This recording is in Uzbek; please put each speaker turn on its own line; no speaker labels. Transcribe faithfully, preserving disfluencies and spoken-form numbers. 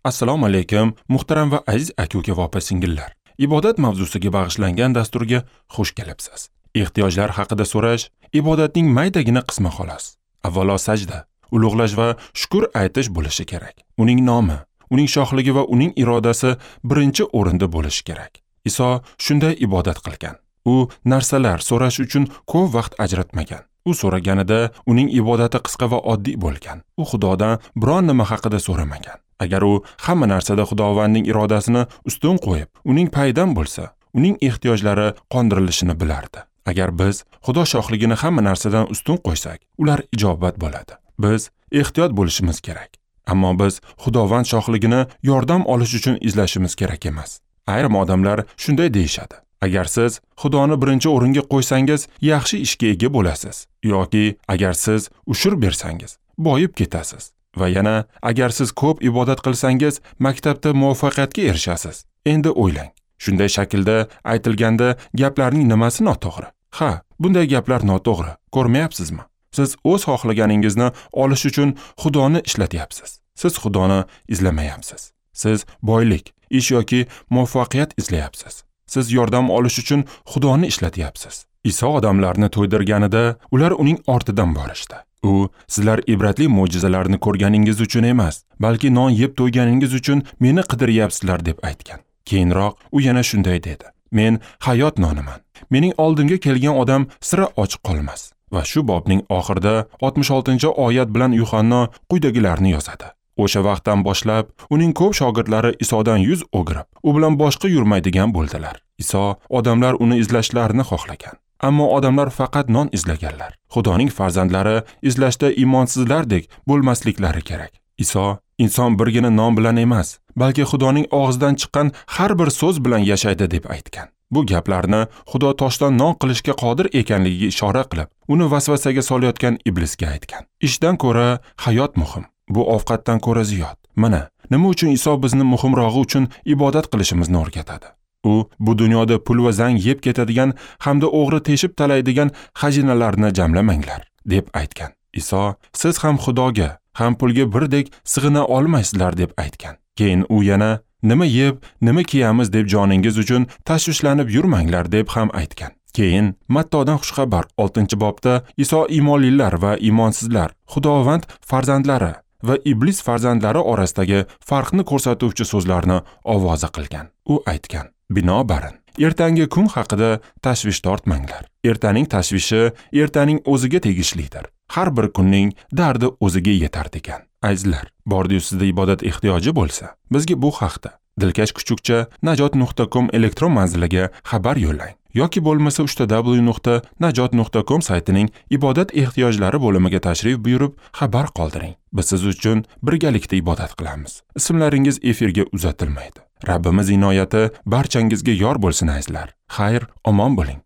Assalomu alaykum, muhtaram va aziz aka-uka va opa-singillar. Ibodat mavzusiga bag'ishlangan dasturga xush kelibsiz. Ehtiyojlar haqida so'rash ibodatning maydagina qismi xolos. Avvalo sajda, ulug'lash va shukr aytish bo'lishi kerak. Uning nomi, uning shohligi va uning irodasi birinchi o'rinda bo'lishi kerak. Iso shunday ibodat qilgan. U narsalar so'rash uchun ko'p vaqt ajratmagan. U so'raganida uning ibodati qisqa va oddiy bo'lgan. U Xudodan biron nima haqida so'ramagan. Agar u hamma narsada Xudovandning irodasini ustun qo'yib, uning payidan bo'lsa, uning ehtiyojlari qondirilishini bilardi. Agar biz Xudo shohligini hamma narsadan ustun qo'ysak, ular ijobat bo'ladi. Biz ehtiyot bo'lishimiz kerak. Ammo biz Xudovand shohligini yordam olish uchun izlashimiz kerak emas. Ayrim odamlar shunday deyishadi. Agar siz Xudoni birinchi o'ringa qo'ysangiz, yaxshi ishga ega bo'lasiz yoki agar siz ushur bersangiz, boyib ketasiz. Va yana agar siz ko'p ibodat qilsangiz, maktabda muvaffaqiyatga erishasiz. Endi o'ylang. Shunday shaklda aytilganda gaplarning nimasi noto'g'ri? Ha, bunday gaplar noto'g'ri. Ko'rmayapsizmi? Siz o'z xohlaganingizni olish uchun Xudoni ishlatyapsiz. Siz Xudoni izlamayapsiz. Siz boylik, ish yoki muvaffaqiyat izlayapsiz. Siz yordam olish uchun Xudoni ishlatyapsiz. Iso odamlarni to'ydirganida ular uning ortidan borishdi. U sizlar ibratli mo'jizalarni ko'rganingiz uchun emas, balki non yeb to'yganingiz uchun meni qidiryapsizlar deb aytgan. Keyinroq u yana shunday dedi: Men hayot noniman. Mening oldimga kelgan odam sira och qolmas. Va shu bobning oxirida oltmish oltinchi oyat bilan Yuhanno quyidagilarni yozadi. O'sha vaqtdan boshlab uning ko'p shogirdlari Isodan yuz o'girib, u bilan boshqa yurmaydigan bo'ldilar. Iso odamlar uni izlashlarini xohlagan. Ammo odamlar faqat non izlaganlar. Xudoning farzandlari izlashda iymonsizlardek bo'lmasliklari kerak. Iso inson birgina non bilan emas, balki Xudoning og'zidan chiqqan har bir so'z bilan yashaydi deb aytgan. Bu gaplarni Xudo toshdan non qilishga qodir ekanligiga ishora qilib, uni vasvasaga solayotgan iblisga aytgan. Ishdan ko'ra hayot muhim. Bu ovqatdan ko'ra ziyod. Mana nima uchun Iso bizni muhimrog'i uchun ibodat qilishimizni o'rgatadi. U bu dunyoda pul va zang yeb ketadigan hamda o'g'ri teshib talaydigan xazinalarni jamlamanglar deb aytgan. Iso siz ham Xudoga, ham pulga birdek sig'ina olmaysizlar deb aytgan. Keyin u yana nima yeb, nima kiyamiz deb joningiz uchun tashvishlanib yurmanglar deb ham aytgan. Keyin Mattodan xushxabar oltinchi bobda Iso iymonlilar va iymonsizlar, Xudovand farzandlari va iblis farzandlari orasidagi farqni ko'rsatuvchi so'zlarni ovoza qilgan. U aytgan: Binobarin, ertangi kun haqida tashvish tortmanglar. Ertaning tashvishi ertaning o'ziga tegishlidir. Har bir kunning dardi o'ziga yetar degan. Azizlar, bordi-yu sizda ibodat ehtiyoji bo'lsa, bizga bu haqda dilkash kuchukcha najot nuqta com elektron manziliga xabar yo'llang yoki bo'lmasa uch ta w nuqta najot nuqta com saytining ibodat ehtiyojlari bo'limiga tashrif buyurib xabar qoldiring. Biz siz uchun birgalikda ibodat qilamiz. Ismlaringiz efirga uzatilmaydi. Rabbimiz inoyati barchangizga yor bo'lsin azizlar. Xayr, omon bo'ling.